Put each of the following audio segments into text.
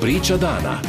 Priča dana.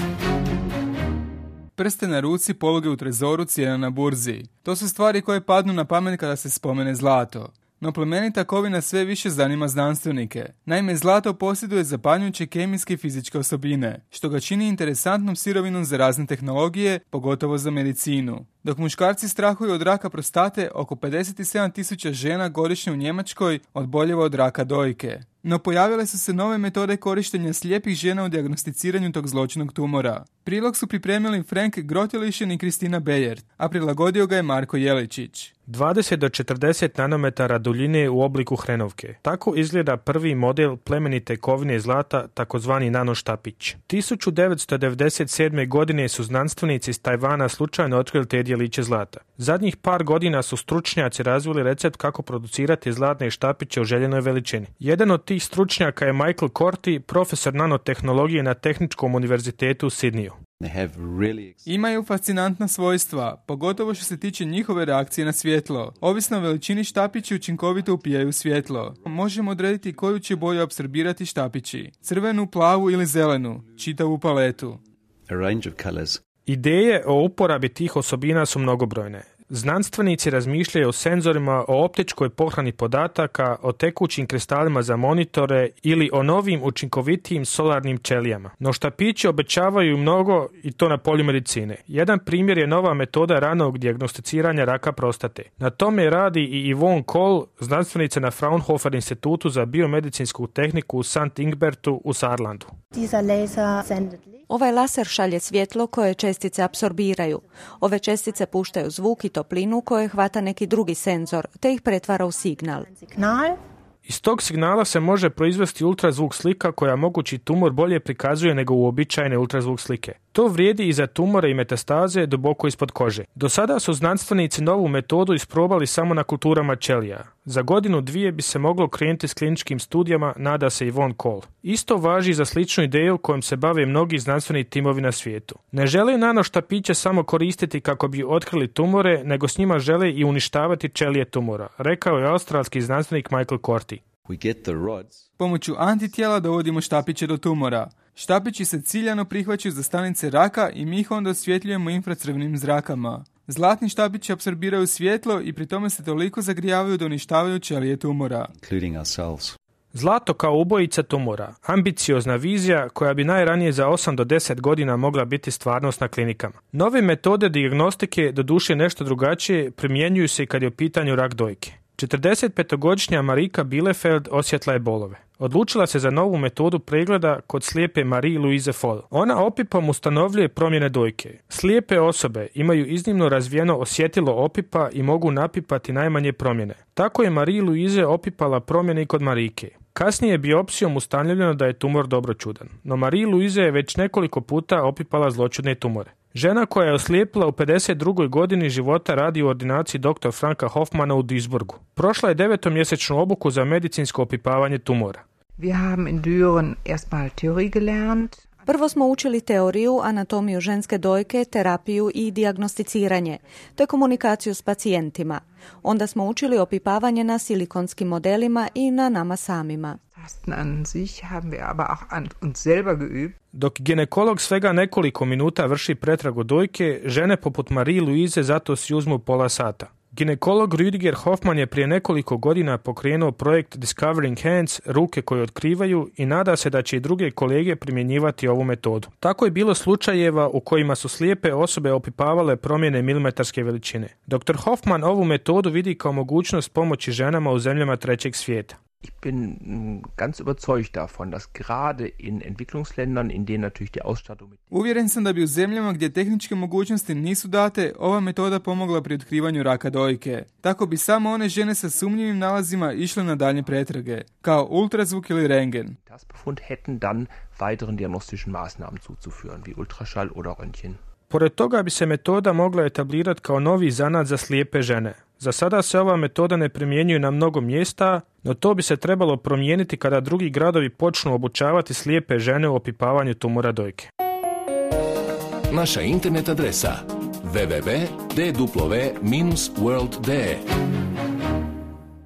Prste na ruci, poluge u trezoru, cijena na burzi. To su stvari koje padnu na pamet kada se spomene zlato. No plemenita kovina sve više zanima znanstvenike. Naime, zlato posjeduje zapanjujuće kemijske i fizičke osobine, što ga čini interesantnom sirovinom za razne tehnologije, pogotovo za medicinu. Dok muškarci strahuju od raka prostate, oko 57.000 žena godišnje u Njemačkoj obolijeva od raka dojke. No pojavile su se nove metode korištenja slijepih žena u dijagnosticiranju tog zloćudnog tumora. Prilog su pripremili Frank Grotelišin i Kristina Bejert, a prilagodio ga je Marko Jeličić. 20 do 40 nanometara duljine u obliku hrenovke. Tako izgleda prvi model plemenite kovine zlata, takozvani nanoštapić. 1997. godine su znanstvenici iz Tajvana slučajno otkrili te djeliće zlata. Zadnjih par godina su stručnjaci razvili recept kako producirati zlatne štapiće u željenoj veličini. Jedan od tih stručnjaka je Michael Corti, profesor nanotehnologije na Tehničkom univerzitetu u Sidneyu. Imaju fascinantna svojstva, pogotovo što se tiče njihove reakcije na svjetlo. Ovisno o veličini štapići učinkovito upijaju svjetlo. Možemo odrediti koju će boju apsorbirati štapići. Crvenu, plavu ili zelenu, čitavu paletu. Ideje o uporabi tih osobina su mnogobrojne. Znanstvenici razmišljaju o senzorima, o optičkoj pohrani podataka, o tekućim kristalima za monitore ili o novim učinkovitijim solarnim ćelijama. No štapići obećavaju mnogo i to na polju medicine. Jedan primjer je nova metoda ranog dijagnosticiranja raka prostate. Na tome radi i Yvonne Kohl, znanstvenica na Fraunhofer institutu za biomedicinsku tehniku u St. Ingbertu u Saarlandu. Ovaj laser šalje svjetlo koje čestice apsorbiraju. Ove čestice puštaju zvuk i toplinu koje hvata neki drugi senzor, te ih pretvara u signal. Iz tog signala se može proizvesti ultrazvuk slika koja mogući tumor bolje prikazuje nego uobičajene ultrazvuk slike. To vrijedi i za tumore i metastaze duboko ispod kože. Do sada su znanstvenici novu metodu isprobali samo na kulturama ćelija. Za godinu dvije bi se moglo krenuti s kliničkim studijama, nada se Yvonne Kohl. Isto važi za sličnu ideju kojom se bave mnogi znanstveni timovi na svijetu. Ne žele nanoštapiće samo koristiti kako bi otkrili tumore, nego s njima žele i uništavati ćelije tumora, rekao je australski znanstvenik Michael Corti. Pomoću antitijela dovodimo štapiće do tumora. Štapići se ciljano prihvaćaju za stanice raka i mi ih onda osvjetljujemo infracrvenim zrakama. Zlatni štapići apsorbiraju svjetlo i pri tome se toliko zagrijavaju da uništavaju ćelije tumora. Zlato kao ubojica tumora, ambiciozna vizija koja bi najranije za 8 do 10 godina mogla biti stvarnost na klinikama. Nove metode dijagnostike, doduše nešto drugačije, primjenjuju se i kad je u pitanju rak dojke. 45-godišnja Marika Bielefeld osjetla je bolove. Odlučila se za novu metodu pregleda kod slijepe Marie-Louise Foll. Ona opipom ustanovljuje promjene dojke. Slijepe osobe imaju iznimno razvijeno osjetilo opipa i mogu napipati najmanje promjene. Tako je Marie-Louise opipala promjene i kod Marike. Kasnije je biopsijom ustanovljeno da je tumor dobročudan. No Marie-Louise je već nekoliko puta opipala zloćudne tumore. Žena koja je oslijepila u 52. godini života radi u ordinaciji dr. Franka Hoffmana u Duisburgu. Prošla je 9-mjesečnu obuku za medicinsko opipavanje tumora. Prvo smo učili teoriju, anatomiju ženske dojke, terapiju i dijagnosticiranje, te komunikaciju s pacijentima. Onda smo učili opipavanje na silikonskim modelima i na nama samima. Dok ginekolog svega nekoliko minuta vrši pretragu dojke, žene poput Marie-Louise zato si uzmu pola sata. Ginekolog Rüdiger Hoffmann je prije nekoliko godina pokrenuo projekt Discovering Hands, ruke koje otkrivaju, i nada se da će i druge kolege primjenjivati ovu metodu. Tako je bilo slučajeva u kojima su slijepe osobe opipavale promjene milimetarske veličine. Dr. Hoffmann ovu metodu vidi kao mogućnost pomoći ženama u zemljama trećeg svijeta. Ich bin ganz überzeugt davon, dass gerade in Entwicklungsländern, in denen natürlich die Ausstattung mit... Uvjeren sam da bi u zemljama gdje tehničke mogućnosti nisu date, ova metoda pomogla pri otkrivanju raka dojke. Tako bi samo one žene sa sumnjivim nalazima išle na daljnje pretrage, kao ultrazvuk ili rentgen. Das Befund hätten dann weiteren diagnostischen Maßnahmen zuzuführen, wie Ultraschall oder Röntgen. Pored toga bi se metoda mogla etablirati kao novi zanat za slijepe žene. Za sada se ova metoda ne primjenjuje na mnogo mjesta, no to bi se trebalo promijeniti kada drugi gradovi počnu obučavati slijepe žene u opipavanju tumora dojke. Naša internet adresa www.dw-world.de